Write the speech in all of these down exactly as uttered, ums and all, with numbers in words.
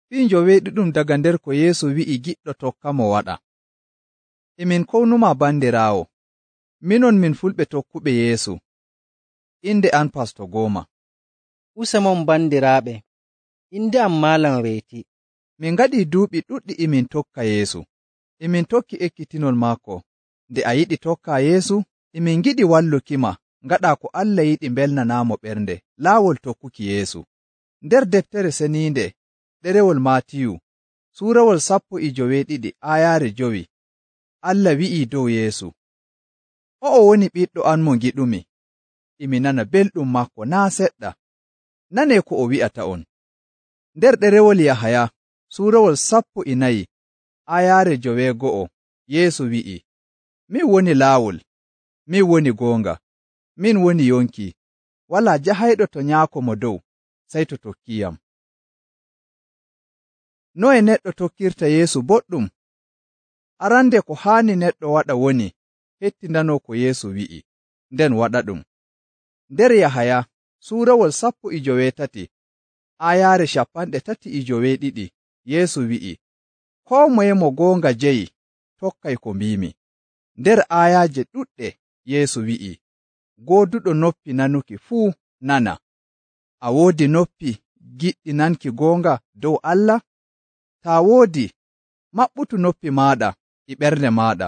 Fii njoweeɗiɗum daga nder ko Yeesu wi'i giɗɗo tokkamo waɗa. E min kownumaa bandiraawo, minon min fulɓe tokkuɓe Yeesu. Inde an Pasto Gooma. Usemon bandiraaɓe, inde am Maalam Weeti. Min ngaɗii duuɓi ɗuɗɗi e min tokka Yeesu. E min tokki ekkitinol maako. Nde a yiɗi tokkaa Yeesu, e min ngiɗi wallukima ngaɗaa ko Allah yiɗi mbelnanaamo ɓernde laawol tokkuki Yeesu. Nder deftere seniinde, ɗerewol Maatiyu, suurawol sappo e joweeɗiɗi aayaare jowi, Allah wi'ii dow Yeesu, “O'o woni ɓiɗɗo am mo ngiɗumi, e mi nana belɗum maako naa' seɗɗa. Nanee ko o wi'ata'on.” Nder ɗerewol Yahaya, suurawol sappo e nayi, aayaare joweego'o, Yeesu wi'ii, “Min woni laawol, min woni goonga, min woni yonki. Walaa jahayɗo to Nyaako Mo Dow, sey to tokkiiyam.” Noye neɗɗo tokkirta Yeesu boɗɗum? Arande ko haani neɗɗo waɗa woni hettindanoo ko Yeesu wi'i, nden waɗaɗum. Nder Yahaya, suurawol sappo e joweetati, aayaare cappanɗe tati e joweeɗiɗi, Yeesu wi'i, “Koo moye mo goonga jeyi, tokkay ko mbiimi.” Nder aayaaje ɗuɗɗe, Yeesu wi'i, “Gooduɗo noppi nanuki fuu nana.” A woodi noppi giɗɗi nanki goonga dow Allah? Taa woodi, maɓɓutu noppi maaɗa e ɓernde maaɗa,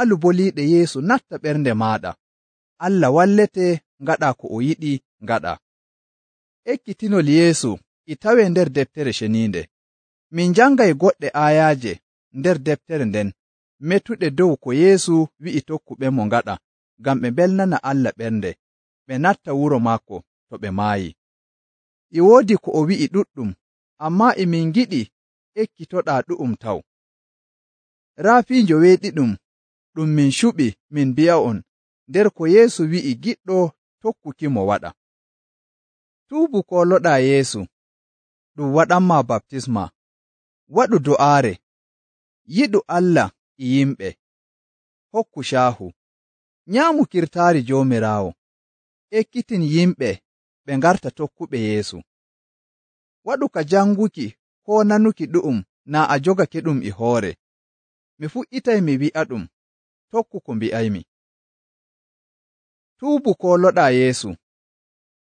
alu boliiɗe Yeesu natta ɓernde maaɗa. Allah wallete ngaɗaa ko o yiɗi ngaɗa. Ekkitinol Yeesu e tawee nder deftere ceniinde. Min njangay goɗɗe aayaaje nder deftere nden metuɗe dow ko Yeesu wi'i tokkuɓemo ngaɗa, ngam ɓe mbelnana Allah ɓernde, ɓe natta wuro maako to ɓe maayi. E woodi ko o wi'i ɗuɗɗum, ammaa e min ngiɗi ekkitoɗaa ɗu'um taw. Raa fii njoweeɗiɗum ɗum min cuɓi min mbi'a'on nder ko Yeesu wi'i giɗɗo tokkukimo waɗa. Tuubu kooloɗaa Yeesu, ɗum waɗanmaa baptisma, waɗu do'aare, yiɗu Allah e yimɓe, hokku caahu, nyaamu kirtaari Joomiraawo, ekkitin yimɓe ɓe ngarta tokkuɓe Yeesu. Waɗu ka janguki koo nanuki ɗu'um naa a jogake ɗum e hoore. Mi fuɗɗitay mi wi'aɗum, tokku ko mbi'aymi. Tuubu kooloɗaa Yeesu,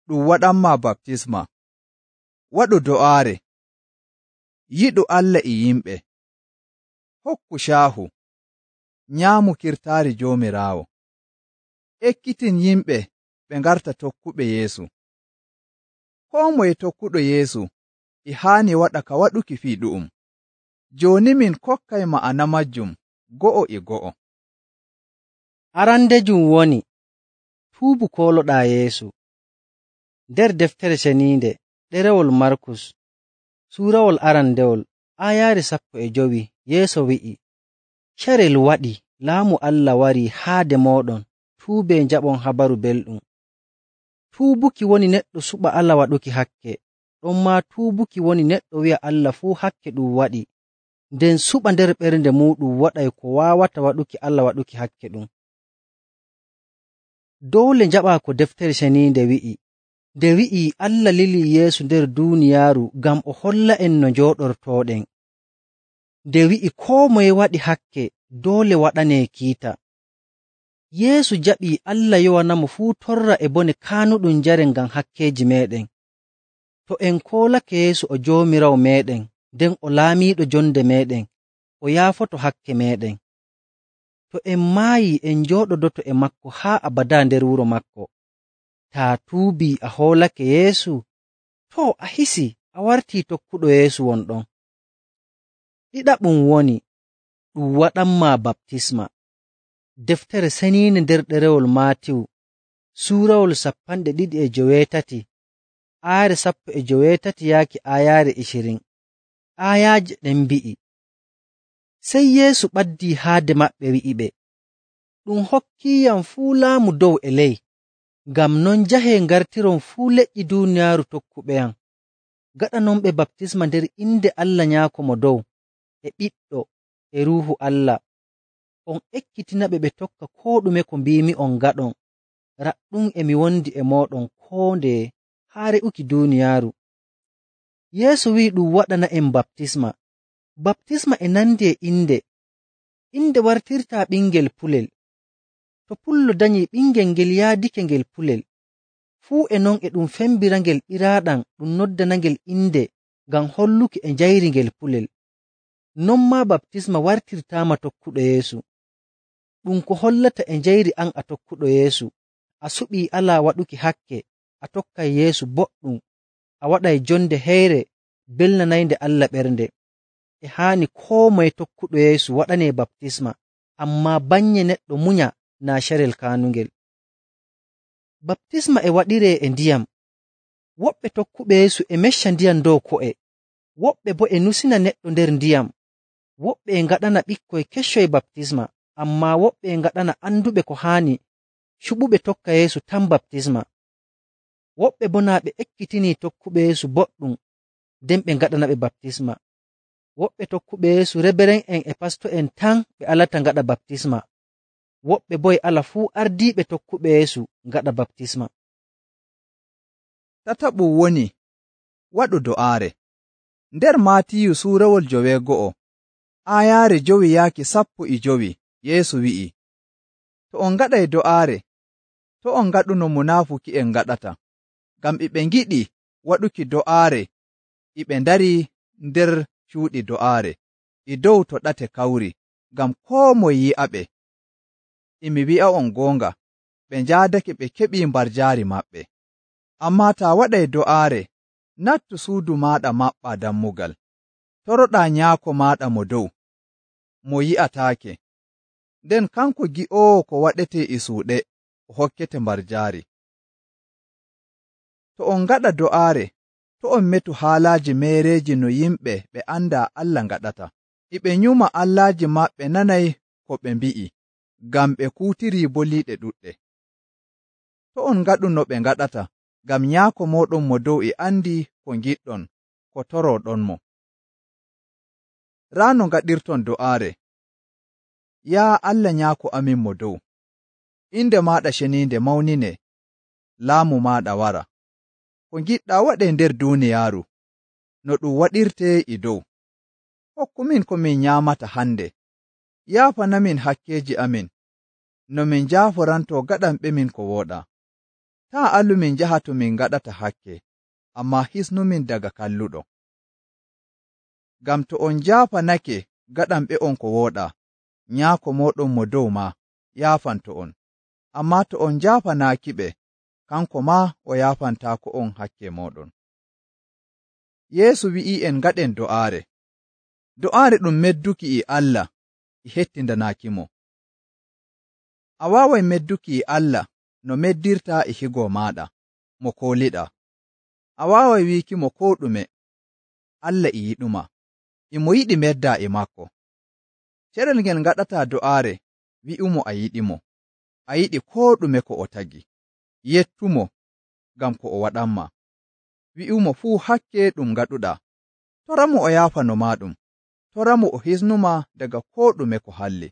ɗum waɗanmaa baptisma, waɗu do'aare, yiɗu Allah e yimɓe, hokku caahu, nyaamu kirtaari Joomiraawo, ekkitin yimɓe ɓe ngarta tokkuɓe Yeesu. Koo moye tokkuɗo Yeesu e haani waɗa ka waɗuki fii ɗu'um. Jooni min kokkay ma'ana majjum go'o e go'o. Arandejum woni, tuubu kooloɗaa Yeesu. Nder deftere ceniinde, ɗerewol Markus, suurawol arandewol, aayaare sappo e jowi, Yeesu wi'i, “Carel waɗi, laamu Allah warii haade mooɗon, tuubee njaɓon habaru belɗum.” Tuubuki woni neɗɗo suɓa Allah waɗuki hakke, ɗonmaa tuubuki woni neɗɗo wi'a Allah fuu hakke ɗum waɗi, nden suɓa nder ɓernde muuɗum waɗay ko waawata waɗuki Allah waɗuki hakke ɗum. Doole njaɓaa ko deftere ceniinde wi'i, nde wi'ii Allah lilii Yeesu nder duuniyaaru ngam o holla'en no njooɗortooɗen. Nde wi'i koo moye waɗi hakke doole waɗanee kiita. Yeesu jaɓii Allah yowanamo fuu torra e bone kaanuɗum njaren ngam hakkeeji meeɗen. To en koolake Yeesu o Joomiraawo meeɗen, nden o laamiiɗo jonde meeɗen, o yaafoto hakke meeɗen. To en maayii en njooɗodoto e maako haa abadaa nder wuro maako. Taa tuubii a hoolake Yeesu, too a hisii a wartii tokkuɗo Yeesu wonɗon. Ɗiɗaɓum woni, ɗum waɗanmaa baptisma. Deftere seniinde nder ɗerewol Maatiyu, suurawol sappanɗe ɗiɗi e joweetati, aayaare sappo e joweetati yaaki aayaare icirin. Aayaaje ɗen mbi'i, sey Yeesu ɓaddii haade maɓɓe wi'iɓe, “Ɗum hokkiiyam fuu laamu dow e ley, ngam non njahee ngartiron fuu leƴƴi duuniyaaru tokkuɓeyam, gaɗanonɓe baptisma nder inde Allah Nyaako Mo Dow, e Ɓiɗɗo, e Ruuhu Allah. On ekkitinaɓe ɓe tokka koo ɗume ko mbiimi'on ngaɗon. Raɗɗum e mi wondi e mooɗon koo ndeye haa re'uki duuniyaaru.” Yeesu wi'i ɗum waɗana'en baptisma. Baptisma e nandi e inde. Inde wartirtaa ɓingel pulel. To pullo danyii ɓingel ngel yaadike ngel pulel, fuu e non e ɗum fembirangel ɓiraaɗam ɗum noddanangel inde ngam holluki e njayri ngel pulel. Non maa baptisma wartirtaama tokkuɗo Yeesu. Ɗum ko hollata e njayri an a tokkuɗo Yeesu, a suɓii alaa waɗuki hakke, a tokkay Yeesu boɗɗum, a waɗay jonde heyre belnanaynde Allah ɓernde. E haani koo moye tokkuɗo Yeesu waɗanee baptisma, ammaa bannye neɗɗo munya naa carel kaanungel. Baptisma e waɗiree e ndiyam. Woɓɓe tokkuɓe Yeesu e mecca ndiyam dow ko'e, woɓɓe boo e nusina neɗɗo nder ndiyam. Woɓɓe e ngaɗana ɓikkoy keccoy baptisma, ammaa woɓɓe e ngaɗana anduɓe ko haani cuɓuɓe tokka Yeesu tan baptisma. Woɓɓe boo naa ɓe ekkitinii tokkuɓe Yeesu boɗɗum, nden ɓe ngaɗanaɓe baptisma. Woɓɓe tokkuɓe Yeesu reberen'en e pasto'en tan ɓe alata ngaɗa baptisma. Woɓɓe boo e ala fuu ardiiɓe tokkuɓe Yeesu ngaɗa baptisma. Tataɓum woni waɗu do'aare. Nder Maatiyu suurawol joweego'o, aayaare jowi yaaki sappo e jowi, Yeesu wi'i, to on ngaɗay do'aare, to on ngaɗuno munaafuki'en ngaɗata, ngam e ɓe ngiɗi waɗuki do'aare e ɓe ndarii nder cuuɗi do'aare, e dow to ɗate kawri, ngam koo moye yi'aɓe. E mi wi'a'on goonga, ɓe njaadake ɓe keɓii mbarjaari maɓɓe. Ammaa taa waɗay do'aare, nattu suudu maaɗa maɓɓaa dammugal, toroɗaa Nyaako maaɗa mo dow, mo yi'ataake, nden kanko gi'oowo ko waɗetee e suuɗe, o hokkete mbarjaari. To on ngaɗa do'aare, to on metu haalaaji meereeji no yimɓe ɓe andaa Allah ngaɗata, e ɓe nyuma allaaji maɓɓe nanay ko ɓe mbi'i, ngam ɓe kuutirii boliiɗe ɗuɗɗe. To on ngaɗu no ɓe ngaɗata, ngam Nyaako mooɗon mo dow e andi ko ngiɗɗon, ko torooɗonmo. Raa no ngaɗirton do'aare. Yaa Allah Nyaako amin mo dow, inde maaɗa ceniinde mawnine, laamu maaɗa wara. Ko ngiɗɗaa waɗee nder duuniyaaru, no ɗum waɗirtee e dow. Hokkumin ko min nyaamata hande. Yaafanamin hakkeeji amin, no min njaaforantoo gaɗanɓemin ko wooɗaa. Taa allu min njaha to min ngaɗata hakke, ammaa hisnumin daga kalluɗo. Ngam to on njaafanake gaɗanɓe'on ko wooɗaa, Nyaako mooɗon mo dow maa yaafanto on. Ammaa to on njaafanaakiɓe, kanko maa o yaafantaako on hakke mooɗon. Yeesu wi'i'en ngaɗen do'aare. Do'aare ɗum medduki e Allah e hettindanaakimo. A waaway medduki e Allah no meddirtaa e higo maaɗa, mo kooliɗaa. A waaway wiikimo koo ɗume, Allah e yiɗuma, e mo yiɗi meddaa e maako. Carel ngel ngaɗataa do'aare, wi'umo a yiɗimo, a yiɗi koo ɗume ko o tagi. Yettumo, ngam ko o waɗanma. Wi'umo fuu hakke ɗum ngaɗuɗaa. Toramo o yaafano maaɗum. Toramo o hisnuma daga koo ɗume ko halli.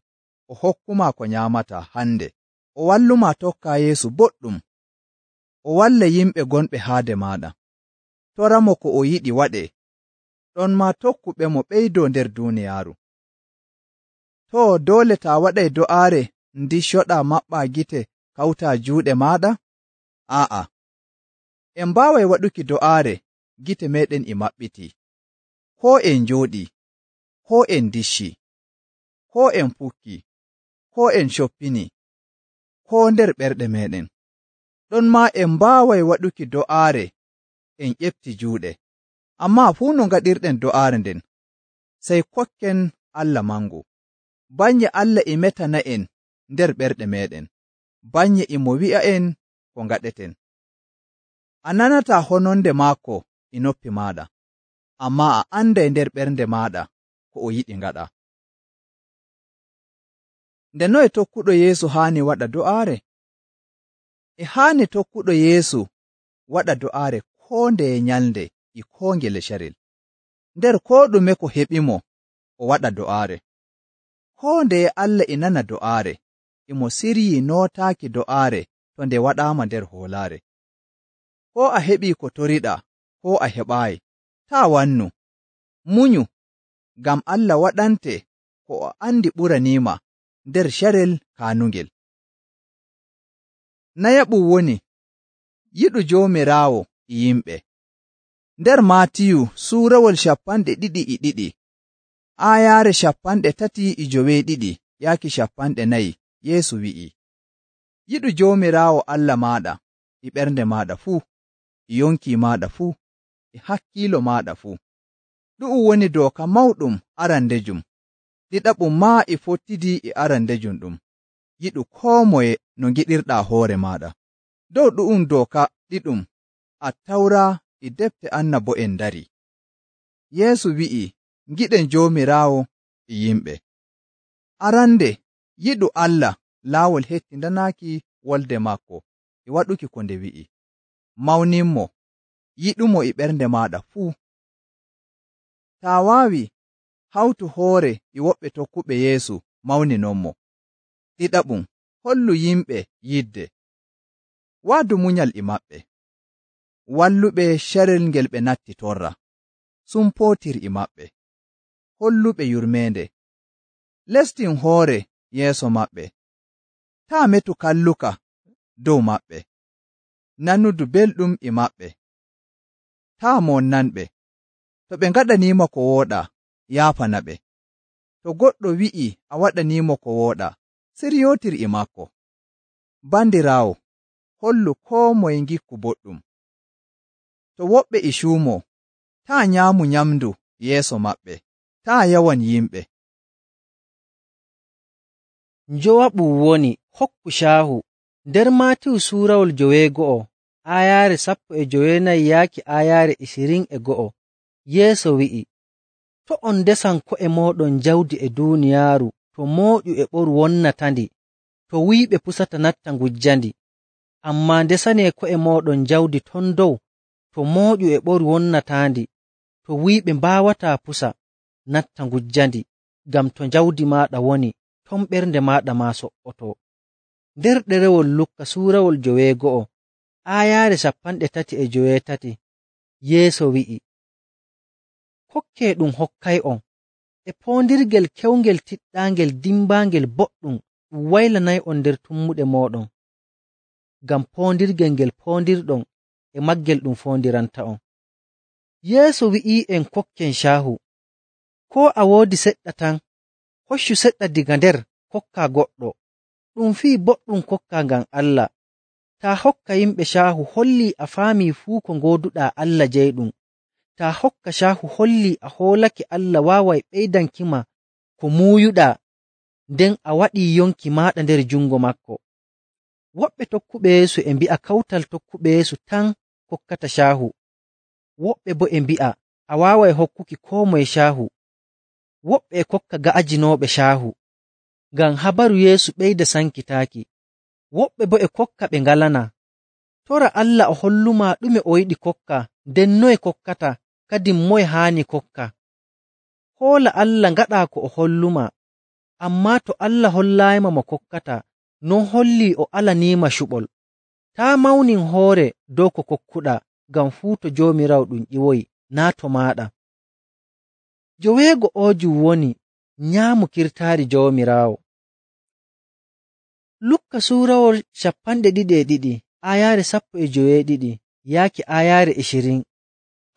O hokkuma ko nyaamataa hande. O walluma tokkaa Yeesu boɗɗum. O walla yimɓe gonɓe haade maaɗa. Toramo ko o yiɗi waɗee. Ɗon maa tokkuɓe mo ɓeydoo nder duuniyaaru. Too doole taa waɗay do'aare ndiccoɗaa maɓɓaa gite kawtaa juuɗe maaɗa? Aa'a. En mbaaway waɗuki do'aare gite meeɗen e maɓɓitii. Koo en njooɗii, koo en ndiccii, koo en pukkii, koo en coppinii, koo nder ɓerɗe meeɗen. Ɗon maa en mbaaway waɗuki do'aare en ƴefti juuɗe. Ammaa fuu no ngaɗirɗen do'aare nden, sey kokken Allah mangu. Bannye Allah e metana'en nder ɓerɗe meeɗen, bannye e mo wi'a'en ko ngaɗeten. A nanataa hononde maako e noppi maaɗa, ammaa a anday nder ɓernde maaɗa ko o yiɗi ngaɗa. Nde noye tokkuɗo Yeesu haani waɗa do'aare? E haani tokkuɗo Yeesu waɗa do'aare koo ndeye nyalnde e koo ngele carel. Nder koo ɗume ko heɓimo, o waɗa do'aare. Koo ndeye Allah e nana do'aare, e mo siryii nootaaki do'aare to nde waɗaama nder hoolaare. Koo a heɓii ko toriɗaa, koo a heɓaayi, taa wannu, munyu, ngam Allah waɗante ko o andi ɓuraniima nder carel kaanungel. Nayaɓum woni yiɗu Joomiraawo e yimɓe. Nder Maatiyu suurawol cappanɗe ɗiɗi e ɗiɗi, aayaare cappanɗe tati e joweeɗiɗi yaaki cappanɗe nayi, Yeesu wi'i, yiɗu Joomiraawo Allah maaɗa e ɓernde maaɗa fuu, e yonki maaɗa fuu, e hakkiilo maaɗa fuu. Ɗu'um woni dooka mawɗum arandejum. Ɗiɗaɓum maa e fottidi e arandejum ɗum, yiɗu koo moye no ngiɗirɗaa hoore maaɗa. Dow ɗu'um dooka ɗiɗum Attawra e defte annabo'en ndari. Yeesu wi'i, ngiɗen Joomiraawo e yimɓe. Arande, yiɗu Allah laawol hettindanaaki wolde maako e waɗuki ko nde wi'i. Mawninmo, yiɗumo e ɓernde maaɗa fuu. Taa waawi, hawtu hoore e woɓɓe tokkuɓe Yeesu mawninonmo. Ɗiɗaɓum, hollu yimɓe yidde. Waadu munyal e maɓɓe. Walluɓe carel ngel ɓe natti torra. Sumpootir e maɓɓe. Holluɓe yurmeende. Lestin hoore yeeso maɓɓe. Taa metu kalluka dow maɓɓe. Nanudu belɗum e maɓɓe. Taa monnanɓe. To ɓe ngaɗaniima ko wooɗaa, yaafana ɓe. To goɗɗo wi'i a waɗaniimo ko wooɗaa, siryootir e maako. Bandiraawo, hollu koo moye ngikku boɗɗum. To woɓɓe e cuumoo, taa nyaamu nyamndu yeeso maɓɓe. Taa yawan yimɓe. Njowaɓum woni hokku caahu. Nder Maatiyu suurawol joweego'o, aayaare sappo e joweenayi yaaki aayaare isirin e go'o, Yeesu wi'i, to' on ndesan ko'e mooɗon jawdi e duuniyaaru to mooƴu e ɓoru wonnatandi, to wuyɓe pusata natta ngujjandi. Ammaa ndesanee ko'e mooɗon jawdi ton dow to mooƴu e ɓoru wonnataandi, to wuyɓe mbaawataa pusa natta ngujjandi, ngam to jawdi maaɗa woni, ton ɓernde maaɗa maa so''otoo. Nder ɗerewol Lukka suurawol joweego'o, aayaare cappanɗe tati e joweetati, Yeesu wi'i, kokkee ɗum hokkay'on, e poondirgel kewngel tiɗɗaangel dimbaangel boɗɗum ɗum waylanay'on nder tummuɗe mooɗon, ngam poondirgel ngel poondirɗon e maggel ɗum foondiranta'on. Yeesu wi'ii'en kokken caahu. Koo a woodi seɗɗa tan, hoccu seɗɗa diga nder kokkaa goɗɗo. Ɗum fii boɗɗum kokkaa ngam Allah. Taa hokka yimɓe caahu hollii a faamii fuu ko ngooduɗaa Allah jeyɗum. Taa hokka caahu hollii a hoolake Allah waaway ɓeydankima ko muuyuɗaa, nden a waɗii yonki maaɗa nder jungo maako. Woɓɓe tokkuɓe Yeesu e mbi'a kawtal tokkuɓe Yeesu tan kokkata caahu. Woɓɓe boo e mbi'a a waaway hokkuki koo moye caahu. Woɓɓe e kokka ga'ajinooɓe caahu, ngam habaru Yeesu ɓeyda sankitaaki. Woɓɓe boo e kokka ɓe ngalanaa. Tora Allah o hollumaa ɗume o yiɗi kokka, nden noye kokkata, kadin moye haani kokka. Hoola Allah ngaɗaa ko o hollumaa. Ammaa to Allah hollaayima mo kokkata, non hollii o alaniima cuɓol. Taa mawnin hoore dow ko kokkuɗaa, ngam fuu to Joomiraawo ɗum ƴiwoyi, naa to maaɗa. Joweego oojum woni nyaamu kirtaari Joomiraawo. Lukka suurawol cappanɗe ɗiɗi e ɗiɗi, aayaare sappo e joweeɗiɗi yaaki aayaare ishirin,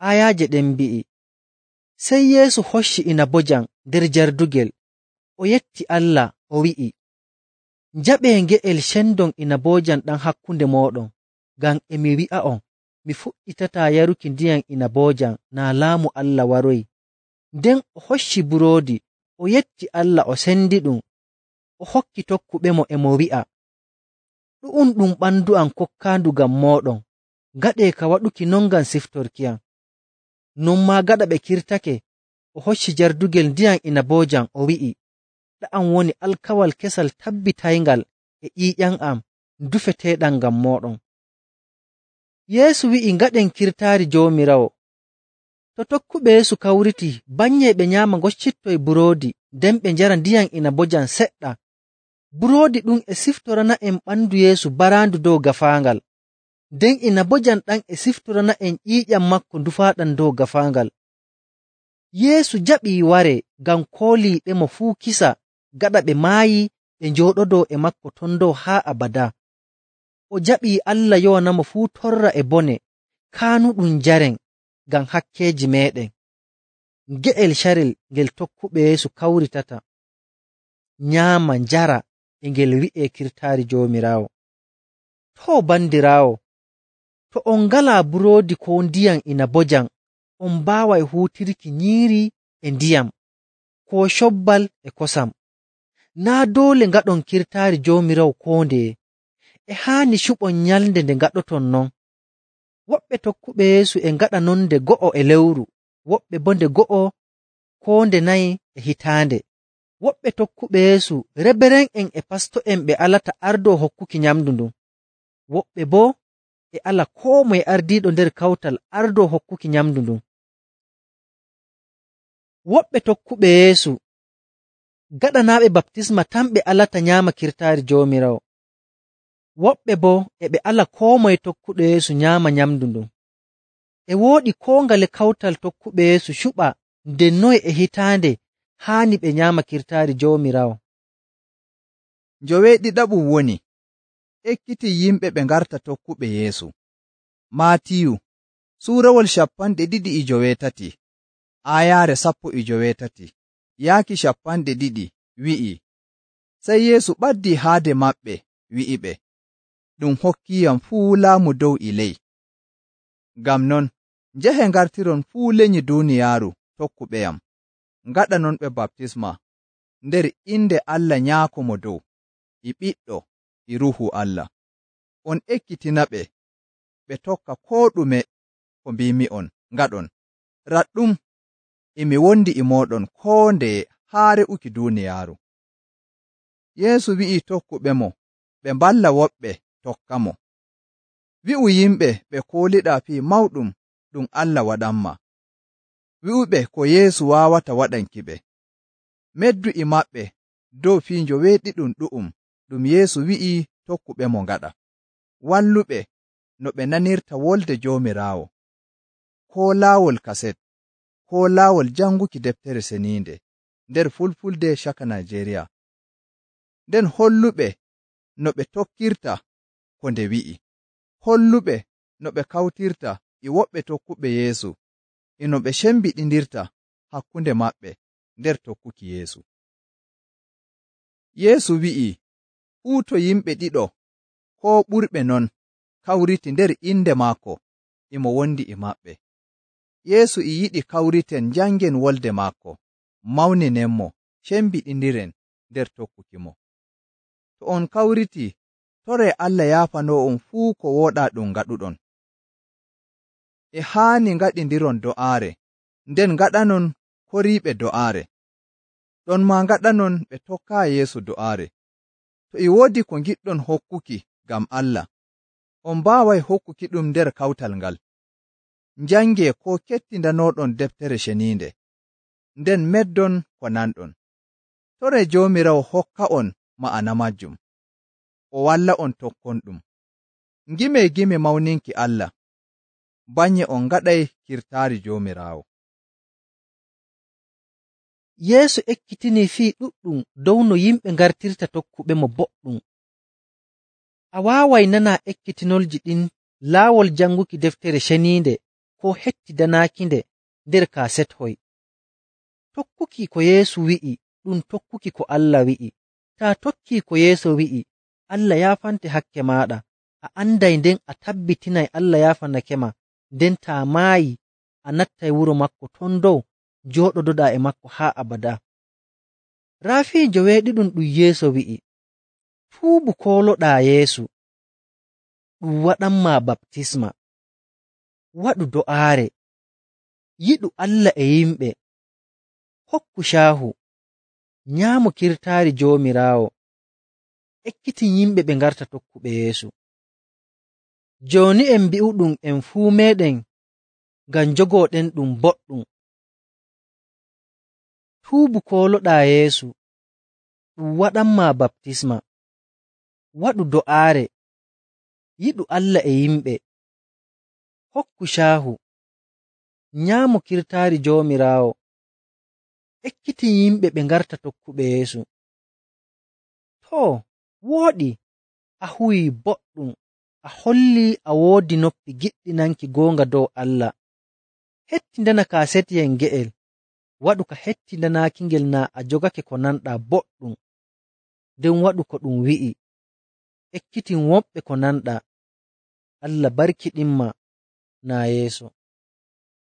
aayaaje ɗen mbi'i, sey Yeesu hocci inabojam nder jardugel, o yetti Allah, o wi'i, njaɓee nge'el cendon inabojam ɗam hakkunde mooɗon, ngam e mi wi'a'on, mi fuɗɗitataa yaruki ndiyam inabojam naa laamu Allah waroyi. Nden o hocci buroodi, o yetti Allah, o sendi ɗum, o hokki tokkuɓemo e mo wi'a, ɗu'um ɗum ɓandu am kokkaandu ngam mooɗon, ngaɗee ka waɗuki non ngam siftorkiyam. Non maa gaɗa ɓe kirtake, o hocci jardugel ndiyam inabojam, o wi'i, ɗa'am woni alkawal kesal tabbitayngal e ƴiiƴam am dufeteeɗam ngam mooɗon. Yeesu wi'i ngaɗen kirtaari Joomiraawo. To tokkuɓe Yeesu kawritii, banyee ɓe nyaama ngoccittoy buroodi, nden ɓe njara ndiyam inabojam seɗɗa. Buroodi ɗum e siftorana'en ɓandu Yeesu baraandu dow gafaangal, nden inabojam ɗam e siftorana'en ƴiiƴam maako ndufaaɗam dow gafaangal. Yeesu jaɓii ware ngam kooliiɓemo fuu kisa gaɗa ɓe maayi ɓe njooɗodoo e maako ton dow haa abadaa. O jaɓii Allah yowanamo fuu torra e bone kaanuɗum njaren ngam hakkeeji meeɗen. Nge'el carel ngel tokkuɓe Yeesu kawritata, nyaama, njara e ngel wi'ee kirtaari Joomiraawo. Too bandiraawo, to on ngalaa buroodi koo ndiyam inabojam, on mbaaway huutirki nyiiri e ndiyam, koo cobbal e kosam. Naa' doole ngaɗon kirtaari Joomiraawo koo ndeye, e haani cuɓon nyalnde nde ngaɗoton non. Woɓɓe tokkuɓe Yeesu e ngaɗa non nde go'o e lewru, woɓɓe boo nde go'o koo nde nayi e hitaande. Woɓɓe tokkuɓe Yeesu reberen'en e pasto'en ɓe alata ardoo hokkuki nyamndu ndun. Woɓɓe boo e ala koo moye ardiiɗo nder kawtal ardoo hokkuki nyamndu ndun. Woɓɓe tokkuɓe Yeesu gaɗanaaɓe baptisma tan ɓe alata nyaama kirtaari Joomiraawo. Woɓɓe boo e ɓe ala koo moye tokkuɗo Yeesu nyaama nyamndu ndun. E wooɗi koo ngale kawtal tokkuɓe Yeesu cuɓa nde noye e hitaande haani ɓe nyaama kirtaari Joomiraawo. Njoweeɗiɗaɓum woni ekkitii yimɓe ɓe ngarta tokkuɓe Yeesu. Maatiyu suurawol cappanɗe ɗiɗi e joweetati, aayaare sappo e joweetati, yaaki cappanɗe ɗiɗi wi'i, sey Yeesu ɓaddii haade maɓɓe wi'iɓe, ɗum hokkiyam fuu laamu dow e ley. Ngam non, njahe ngartiron fuu lenyi duuniyaaru tokkuɓeyam, ngaɗanonɓe baptisma nder inde Allah Nyaako Mo Dow, e Ɓiɗɗo, e Ruuhu Allah. On ekkitinaɓe ɓe tokka koo ɗume ko mbimi'on ngaɗon. Raɗɗum e mi wondi e mooɗon koo ndeye haa re'uki duuniyaaru. Yeesu wi'ii tokkuɓemo ɓe mballa woɓɓe tokkamo. Wi'u yimɓe ɓe kooliɗaa fii mawɗum ɗum Allah waɗanma. Wi'uɓe ko Yeesu waawata waɗankiɓe. Meddu e maɓɓe dow fii njoweeɗiɗum ɗu'um ɗum Yeesu wi'ii tokkuɓemo ngaɗa. Walluɓe no ɓe nanirta wolde Joomiraawo, koo laawol kaset, koo laawol janguki deftere seniinde nder Fulfulde caka Najeriya. Nden holluɓe no ɓe tokkirta ko nde wi'i. Holluɓe no ɓe kawtirta e woɓɓe tokkuɓe Yeesu e no ɓe cembiɗindirta hakkunde maɓɓe nder tokkuki Yeesu. Yeesu wi'i, fuu to yimɓe ɗiɗo koo ɓurɓe non kawriti nder inde maako, e mo wondi e maɓɓe. Yeesu e yiɗi kawriten njangen wolde maako, mawninen-mo, cembiɗindiren nder tokkuki mo. To on kawriti, toree Allah yaafanoo'on fuu ko wooɗaa ɗum ngaɗuɗon. E haani ngaɗindiron do'aare, nden ngaɗanon koriiɓe do'aare. Ɗon maa ngaɗanon ɓe tokkaayi Yeesu do'aare. To e woodi ko ngiɗɗon hokkuki ngam Allah, on mbaaway hokkuki ɗum nder kawtal ngal. Njangee koo kettindanoɗon deftere ceniinde, nden meddon ko nanɗon. Toree Joomiraawo hokka'on ma'ana majjum, o walla on tokkon ɗum. Ngimee gime mawninki Allah, banye on ngaɗay kirtaari Joomiraawo. Yeesu ekkitinii fii ɗuɗɗum dow no yimɓe ngartirta tokkuɓe mo boɗɗum. A waaway nanaa ekkitinolji ɗin laawol janguki deftere ceniinde koo hettidanaakinde nder kaaset hoy. Tokkuki ko Yeesu wi'i ɗum tokkuki ko Allah wi'i. Taa tokkii ko Yeesu wi'i, Allah yaafante hakke maaɗa, a anday nden a tabbitinay Allah yaafanake ma, nden taa maayi a nattay wuro maako ton dow njooɗodoɗaa e maako haa abadaa. Raa fii njoweeɗiɗum ɗum Yeesu wi'i, tuubu kooloɗaa Yeesu, ɗum waɗanmaa baptisma, waɗu do'aare, yiɗu Allah e yimɓe, hokku caahu, nyaamu kirtaari Joomiraawo, ekkitin yimɓe ɓe ngarta tokkuɓe Yeesu. Jooni en mbi'uɗum en fuu meeɗen ngam njogooɗen ɗum boɗɗum. Tuubu kooloɗaa Yeesu, ɗum waɗanmaa baptisma, waɗu do'aare, yiɗu Allah e yimɓe, hokku caahu, nyaamu kirtaari Joomiraawo, ekkitin yimɓe ɓe ngarta tokkuɓe Yeesu. Too, wooɗi, a huwii boɗɗum, a hollii a woodi noppi giɗɗi nanki goonga dow Allah. Hettindana kaasetiyel nge'el, waɗu ka hettindanaakingel naa a jogake ko nanɗaa boɗɗum, nden waɗu ko ɗum wi'i, ekkitin woɓɓe ko nanɗaa. Allah barkiɗinma naa yeeso.